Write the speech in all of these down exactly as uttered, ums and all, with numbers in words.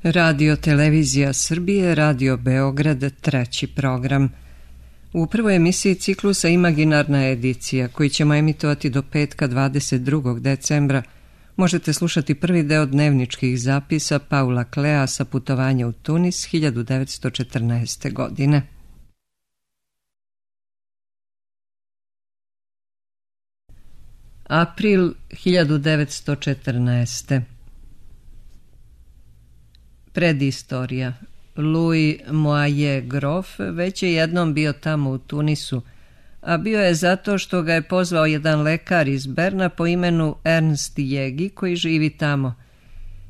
Radio Televizija Srbije, Radio Beograd, treći program. U prvoj emisiji ciklusa Imaginarna edicija, koji ćemo emitovati do petka dvadeset drugog decembra, možete slušati prvi deo dnevničkih zapisa Paula Klea sa putovanja u Tunis hiljadu devetsto četrnaeste. godine. April hiljadu devetsto četrnaeste. Predistorija. Louis Moye Grof već je jednom bio tamo u Tunisu, a bio je zato što ga je pozvao jedan lekar iz Berna po imenu Ernst Jegi koji živi tamo.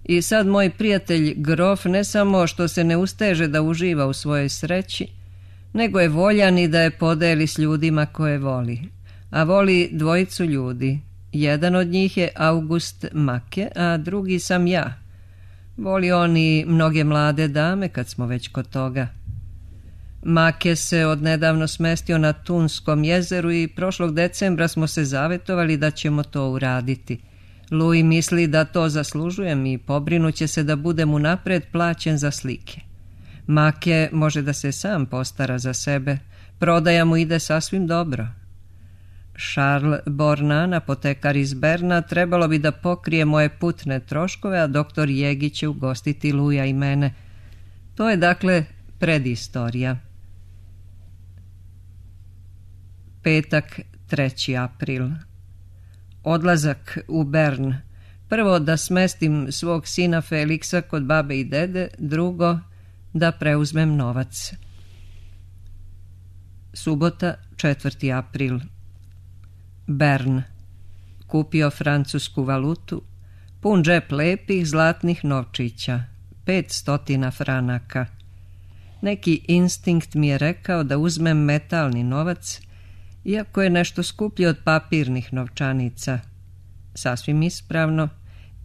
I sad moj prijatelj Grof ne samo što se ne usteže da uživa u svojoj sreći, nego je voljan i da je podeli s ljudima koje voli. A voli dvojicu ljudi. Jedan od njih je August Make, a drugi sam ja. Voli on i mnoge mlade dame kad smo već kod toga. Make se odnedavno smestio na Tunskom jezeru i prošlog decembra smo se zavetovali da ćemo to uraditi. Louis misli da to zaslužujem i pobrinuće se da budem unapred plaćen za slike. Make može da se sam postara za sebe, prodaja mu ide sasvim dobro. Charles Bornan, apotekar iz Berna, trebalo bi da pokrije moje putne troškove, a doktor Jegi će ugostiti Luja i mene. To je dakle predistorija. Petak, treći april. Odlazak u Bern. Prvo da smestim svog sina Feliksa kod babe i dede, drugo da preuzmem novac. Subota, četvrti april. Bern. Kupio francusku valutu, pun džep lepih zlatnih novčića, pet stotina franaka. Neki instinkt mi je rekao da uzmem metalni novac, iako je nešto skuplji od papirnih novčanica. Sasvim ispravno,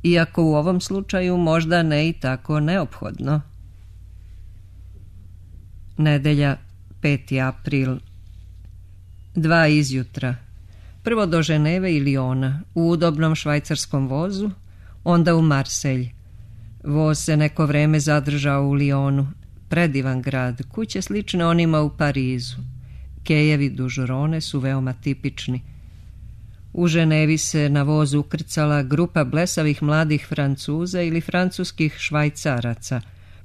iako u ovom slučaju možda ne i tako neophodno. Nedelja, peti april. Dva izjutra. Prvo do Ženeve i Liona, u udobnom švajcarskom vozu, onda u Marselj. Voz se neko vreme zadržao u Lionu, predivan grad, kuće slične onima u Parizu. Kejevi duž Rone su veoma tipični. U Ženevi se na vozu ukrcala grupa blesavih mladih Francuza ili francuskih Švajcaraca.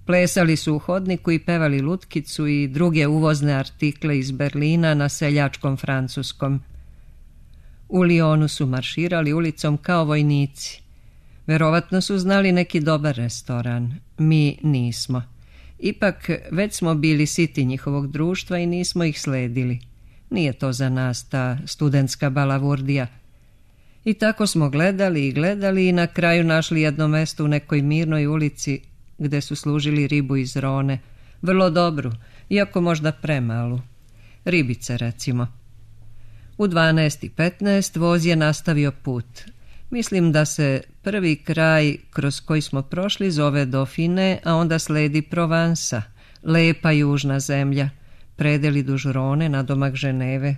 Plesali su u hodniku i pevali lutkicu i druge uvozne artikle iz Berlina na seljačkom francuskom. U Lionu su marširali ulicom kao vojnici. Verovatno su znali neki dobar restoran. Mi nismo. Ipak već smo bili siti njihovog društva i nismo ih sledili. Nije to za nas ta studentska balavurdija. I tako smo gledali i gledali i na kraju našli jedno mesto u nekoj mirnoj ulici gde su služili ribu iz Rone. Vrlo dobru, iako možda premalu. Ribice, recimo. U dvanaest i petnaest voz je nastavio put. Mislim da se prvi kraj kroz koji smo prošli zove Dauphine, a onda sledi Provansa, lepa južna zemlja, predeli duž Rone na domak Ženeve.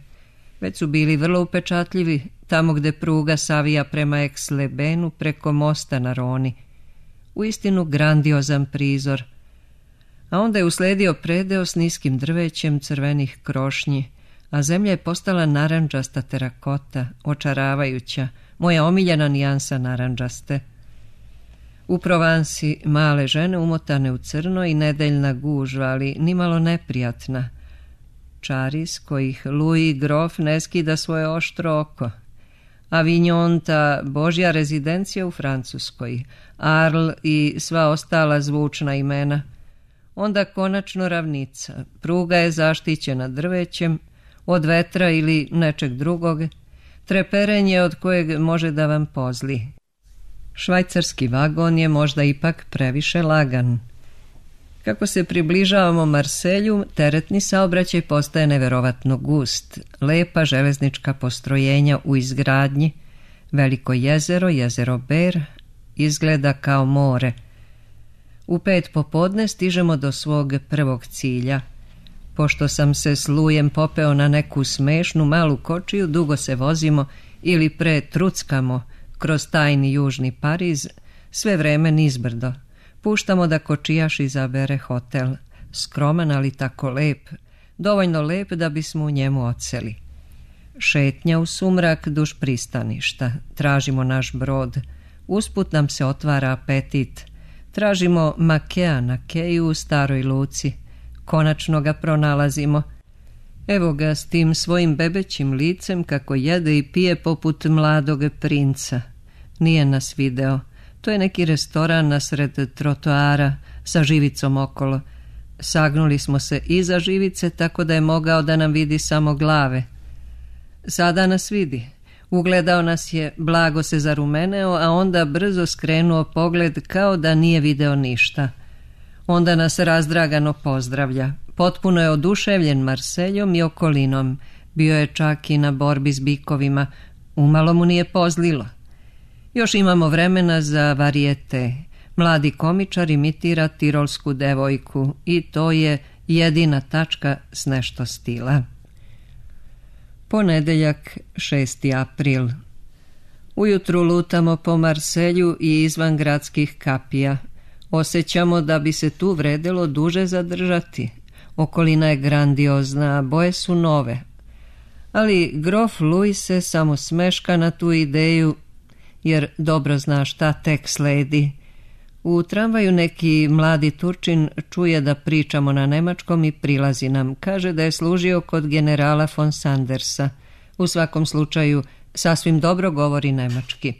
Već su bili vrlo upečatljivi, tamo gde pruga savija prema Aix-les-Bains preko mosta na Roni. Uistinu grandiozan prizor. A onda je usledio predeo s niskim drvećem crvenih krošnji, a zemlja je postala narandžasta terakota, očaravajuća, moja omiljena nijansa narandžaste. U Provansi male žene umotane u crno i nedeljna gužva, ali nimalo neprijatna. Čari s kojih Louis Grof ne skida svoje oštro oko. Avignon, ta božja rezidencija u Francuskoj, Arles i sva ostala zvučna imena. Onda konačno ravnica, pruga je zaštićena drvećem, od vetra ili nečeg drugog, treperenje od kojeg može da vam pozli. Švajcarski vagon je možda ipak previše lagan. Kako se približavamo Marselju, teretni saobraćaj postaje neverovatno gust. Lepa železnička postrojenja u izgradnji, veliko jezero, jezero Ber, izgleda kao more. U pet popodne stižemo do svog prvog cilja. Pošto sam se s Lujem popeo na neku smešnu malu kočiju, dugo se vozimo ili pre truckamo kroz tajni južni Pariz, sve vreme nizbrdo. Puštamo da kočijaš izabere hotel, skroman ali tako lep, dovoljno lep da bismo u njemu odseli. Šetnja u sumrak duž pristaništa, tražimo naš brod, usput nam se otvara apetit, tražimo Makea na keju u staroj luci, konačno ga pronalazimo. Evo ga s tim svojim bebećim licem kako jede i pije poput mladog princa. Nije nas video, to je neki restoran nasred trotoara sa živicom okolo. Sagnuli smo se iza živice tako da je mogao da nam vidi samo glave. Sada nas vidi. Ugledao nas je, blago se zarumeneo, a onda brzo skrenuo pogled kao da nije video ništa. Onda nas razdragano pozdravlja. Potpuno je oduševljen Marseljom i okolinom. Bio je čak i na borbi s bikovima. Umalo mu nije pozlilo. Još imamo vremena za varijete. Mladi komičar imitira tirolsku devojku i to je jedina tačka s nešto stila. Ponedeljak, šesti april. Ujutru lutamo po Marselju i izvan gradskih kapija. Osjećamo da bi se tu vredelo duže zadržati. Okolina je grandiozna, a boje su nove. Ali grof Louis se samo smeška na tu ideju, jer dobro zna šta tek sledi. U tramvaju neki mladi Turčin čuje da pričamo na nemačkom i prilazi nam. Kaže da je služio kod generala von Sandersa. U svakom slučaju sasvim dobro govori nemački.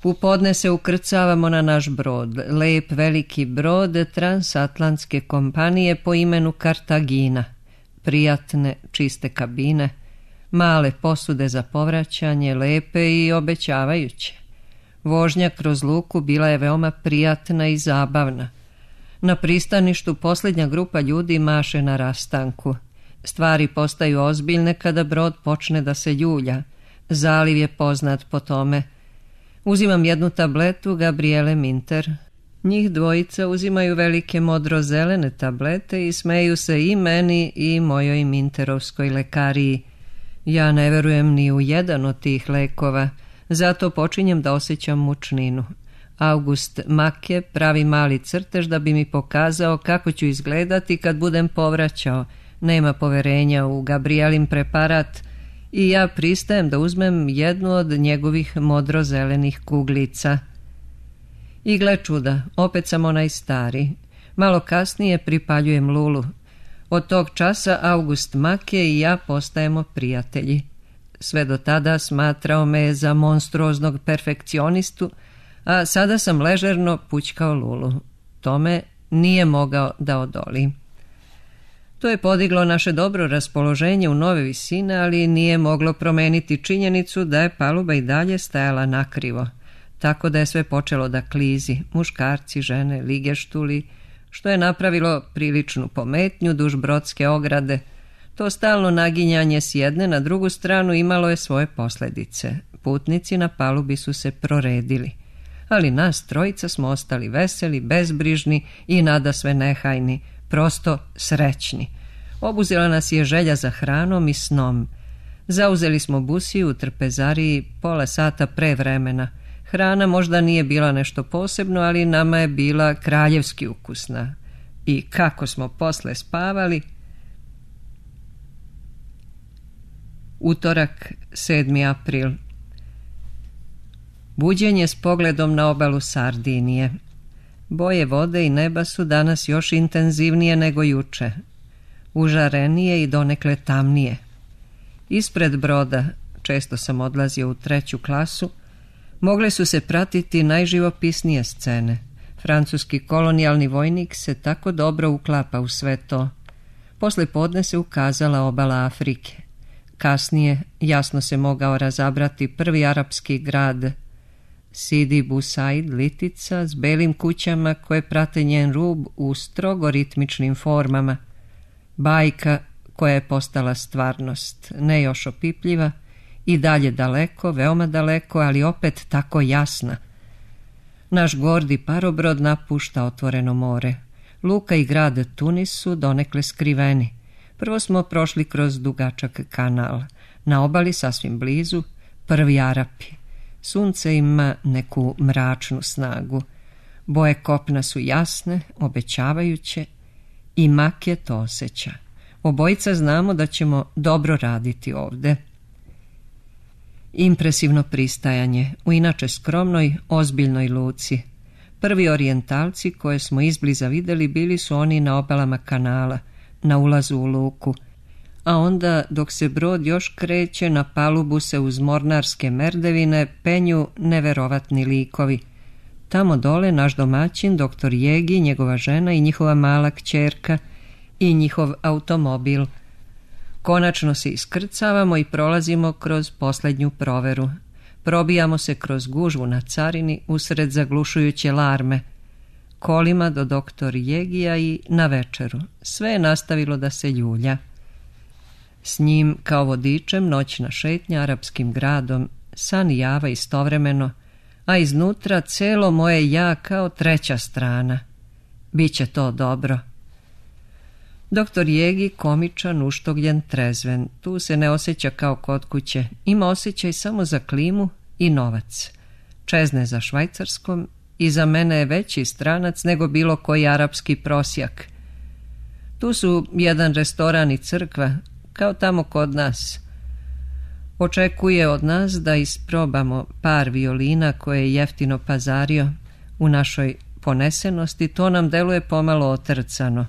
U podne se ukrcavamo na naš brod, lep veliki brod transatlantske kompanije po imenu Kartagina. Prijatne, čiste kabine, male posude za povraćanje, lepe i obećavajuće. Vožnja kroz luku bila je veoma prijatna i zabavna. Na pristaništu posljednja grupa ljudi maše na rastanku. Stvari postaju ozbiljne kada brod počne da se ljulja. Zaliv je poznat po tome. Uzimam jednu tabletu Gabriele Minter. Njih dvojica uzimaju velike modro-zelene tablete i smeju se i meni i mojoj minterovskoj lekariji. Ja ne verujem ni u jedan od tih lekova, zato počinjem da osjećam mučninu. August Make pravi mali crtež da bi mi pokazao kako ću izgledati kad budem povraćao. Nema poverenja u Gabrielin preparat i ja pristajem da uzmem jednu od njegovih modro-zelenih kuglica. I gle čuda, opet sam onaj stari. Malo kasnije pripaljujem lulu. Od tog časa August Make i ja postajemo prijatelji. Sve do tada smatrao me za monstruoznog perfekcionistu, a sada sam ležerno pućkao lulu. Tome nije mogao da odoli. To je podiglo naše dobro raspoloženje u nove visine, ali nije moglo promeniti činjenicu da je paluba i dalje stajala nakrivo, tako da je sve počelo da klizi, muškarci, žene, ligeštuli, što je napravilo priličnu pometnju duž brodske ograde. To stalno naginjanje s jedne na drugu stranu imalo je svoje posljedice. Putnici na palubi su se proredili, ali nas trojica smo ostali veseli, bezbrižni i nadasve nehajni, prosto srećni. Obuzela nas je želja za hranom i snom. Zauzeli smo busiju u trpezariji pola sata pre vremena. Hrana možda nije bila nešto posebno, ali nama je bila kraljevski ukusna. I kako smo posle spavali. Utorak, sedmi april. Buđenje s pogledom na obalu Sardinije. Boje vode i neba su danas još intenzivnije nego juče. Užarenije i donekle tamnije. Ispred broda, često sam odlazio u treću klasu, mogle su se pratiti najživopisnije scene. Francuski kolonijalni vojnik se tako dobro uklapa u sve to. Posle podne se ukazala obala Afrike. Kasnije jasno se mogao razabrati prvi arapski grad, Sidi Bou Said, litica s belim kućama koje prate njen rub u strogo ritmičnim formama. Bajka koja je postala stvarnost, ne još opipljiva, i dalje daleko, veoma daleko, ali opet tako jasna. Naš gordi parobrod napušta otvoreno more. Luka i grad Tunis su donekle skriveni. Prvo smo prošli kroz dugačak kanal. Na obali, sasvim blizu, prvi Arapi. Sunce ima neku mračnu snagu. Boje kopna su jasne, obećavajuće i Make to osjeća. Obojica znamo da ćemo dobro raditi ovde. Impresivno pristajanje u inače skromnoj, ozbiljnoj luci. Prvi orijentalci koje smo izbliza vidjeli bili su oni na obalama kanala, na ulazu u luku, a onda dok se brod još kreće, na palubu se uz mornarske merdevine penju neverovatni likovi. Tamo dole naš domaćin, doktor Jegi, njegova žena i njihova mala kćerka i njihov automobil. Konačno se iskrcavamo i prolazimo kroz posljednju proveru. Probijamo se kroz gužvu na carini usred zaglušujuće larme. Kolima do doktor Jegija i na večeru. Sve je nastavilo da se ljulja. S njim kao vodičem noćna šetnja arapskim gradom, san i java istovremeno, a iznutra celo moje ja kao treća strana. Biće to dobro. Doktor Jegi komičan, uštogljen, trezven. Tu se ne osjeća kao kod kuće. Ima osjećaj samo za klimu i novac. Čezne za Švajcarskom i za mene je veći stranac nego bilo koji arapski prosjak. Tu su jedan restoran i crkva, kao tamo kod nas. Očekuje od nas da isprobamo par violina koje je jeftino pazario. U našoj ponesenosti to nam deluje pomalo otrcano.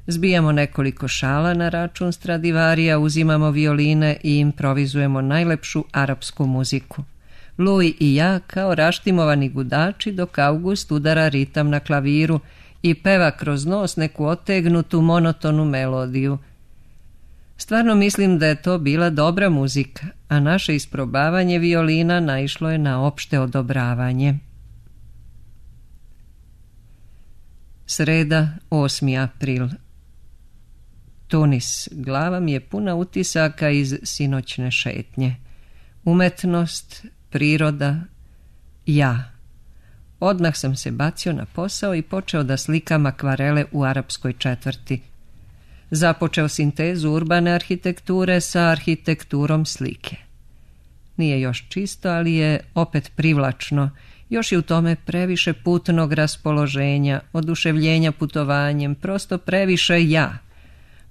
Zbijamo nekoliko šala na račun Stradivarija, uzimamo violine i improvizujemo najlepšu arapsku muziku. Louis i ja kao raštimovani gudači, dok August udara ritam na klaviru i peva kroz nos neku otegnutu monotonu melodiju. Stvarno mislim da je to bila dobra muzika, a naše isprobavanje violina naišlo je na opšte odobravanje. Sreda, osmi april. Tunis. Glava mi je puna utisaka iz sinoćne šetnje. Umetnost, priroda, ja. Odmah sam se bacio na posao i počeo da slikam akvarele u arapskoj četvrti. Započeo sintezu urbane arhitekture sa arhitekturom slike. Nije još čisto, ali je opet privlačno. Još je u tome previše putnog raspoloženja, oduševljenja putovanjem, prosto previše ja.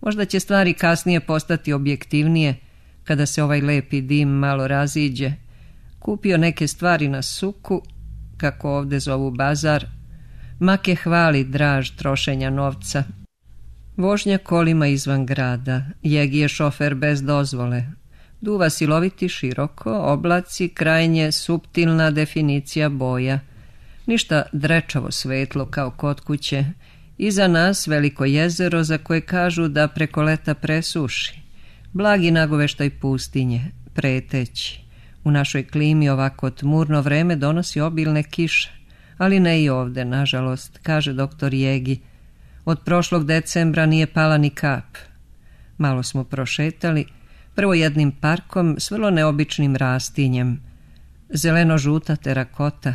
Možda će stvari kasnije postati objektivnije, kada se ovaj lepi dim malo raziđe. Kupio neke stvari na suku, kako ovde zovu bazar. Make hvali draž trošenja novca. Vožnja kolima izvan grada. Jegi je šofer bez dozvole. Duva siloviti široko, oblaci, krajnje suptilna definicija boja. Ništa drečavo svetlo kao kod kuće. Iza nas veliko jezero za koje kažu da preko leta presuši. Blagi nagoveštaj pustinje, preteći. U našoj klimi ovako tmurno vreme donosi obilne kiše, ali ne i ovde, nažalost, kaže doktor Jegi. Od prošlog decembra nije pala ni kap. Malo smo prošetali, prvo jednim parkom s vrlo neobičnim rastinjem. Zeleno-žuta terakota.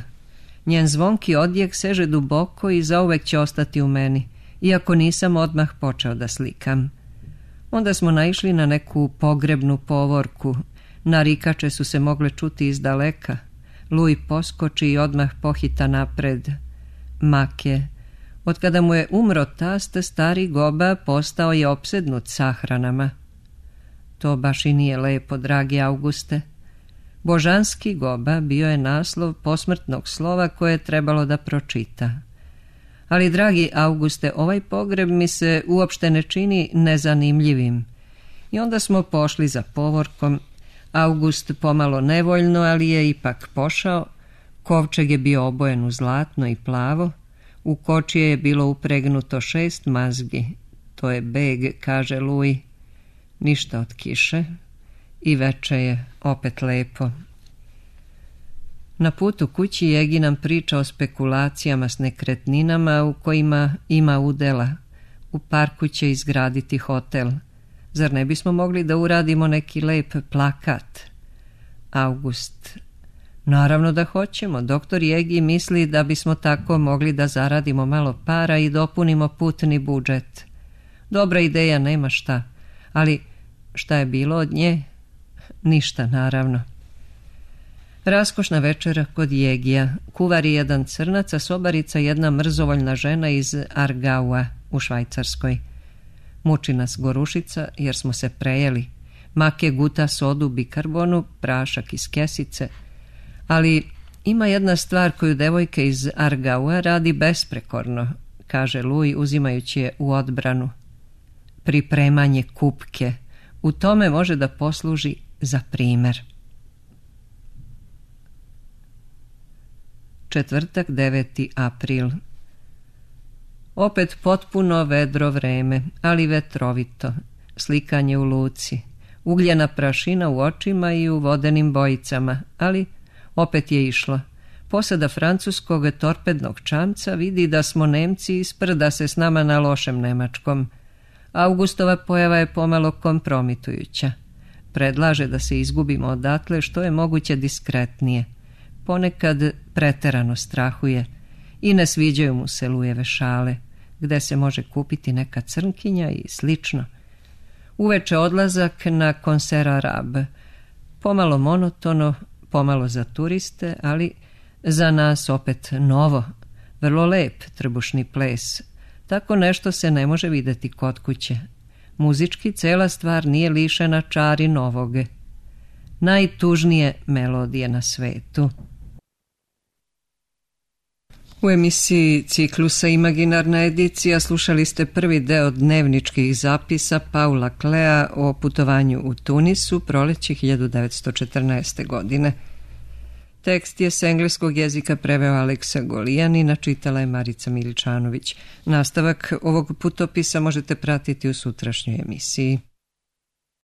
Njen zvonki odjek seže duboko i zauvek će ostati u meni, iako nisam odmah počeo da slikam. Onda smo naišli na neku pogrebnu povorku. Narikače su se mogle čuti iz daleka. Louis poskoči i odmah pohita napred. Make. Od kada mu je umro tast, stari Goba postao je opsednut sahranama. To baš i nije lepo, dragi Auguste. Božanski Goba bio je naslov posmrtnog slova koje je trebalo da pročita. Ali, dragi Auguste, ovaj pogreb mi se uopšte ne čini nezanimljivim. I onda smo pošli za povorkom. August pomalo nevoljno, ali je ipak pošao. Kovčeg je bio obojen u zlatno i plavo. U kočije je bilo upregnuto šest mazgi. To je beg, kaže Louis. Ništa od kiše. I veče je opet lepo. Na putu kući Jegi nam priča o spekulacijama s nekretninama u kojima ima udela. U parku će izgraditi hotel. Zar ne bismo mogli da uradimo neki lep plakat? August. Naravno da hoćemo. Doktor Jegi misli da bismo tako mogli da zaradimo malo para i dopunimo putni budžet. Dobra ideja, nema šta. Ali šta je bilo od nje? Ništa, naravno. Raskošna večera kod Jegija. Kuvar je jedan crnac, a sobarica jedna mrzovoljna žena iz Argaua u Švajcarskoj. Muči nas gorušica jer smo se prejeli. Make guta sodu bikarbonu, prašak iz kesice. Ali ima jedna stvar koju devojka iz Argaua radi besprekorno, kaže Luj uzimajući je u odbranu. Pripremanje kupke. U tome može da posluži za primer. Četvrtak, deveti april. Opet potpuno vedro vreme, ali vetrovito. Slikanje u luci. Ugljena prašina u očima i u vodenim bojicama, ali opet je išlo. Posada francuskog torpednog čamca vidi da smo Nemci i sprda se s nama na lošem nemačkom. Augustova pojava je pomalo kompromitujuća. Predlaže da se izgubimo odatle što je moguće diskretnije. Ponekad preterano strahuje i ne sviđaju mu se Lujeve šale, gde se može kupiti neka crnkinja i slično. Uveče odlazak na Concert Arabe. Pomalo monotono, pomalo za turiste, ali za nas opet novo, vrlo lep trbušni ples. Tako nešto se ne može videti kod kuće. Muzički cela stvar nije lišena čari novoge. Najtužnije melodije na svetu. U emisiji ciklusa Imaginarna edicija slušali ste prvi deo dnevničkih zapisa Paula Klea o putovanju u Tunisu proleće hiljadu devetsto četrnaeste. godine. Tekst je s engleskog jezika preveo Aleksa Golijan, načitala je Marica Miličanović. Nastavak ovog putopisa možete pratiti u sutrašnjoj emisiji.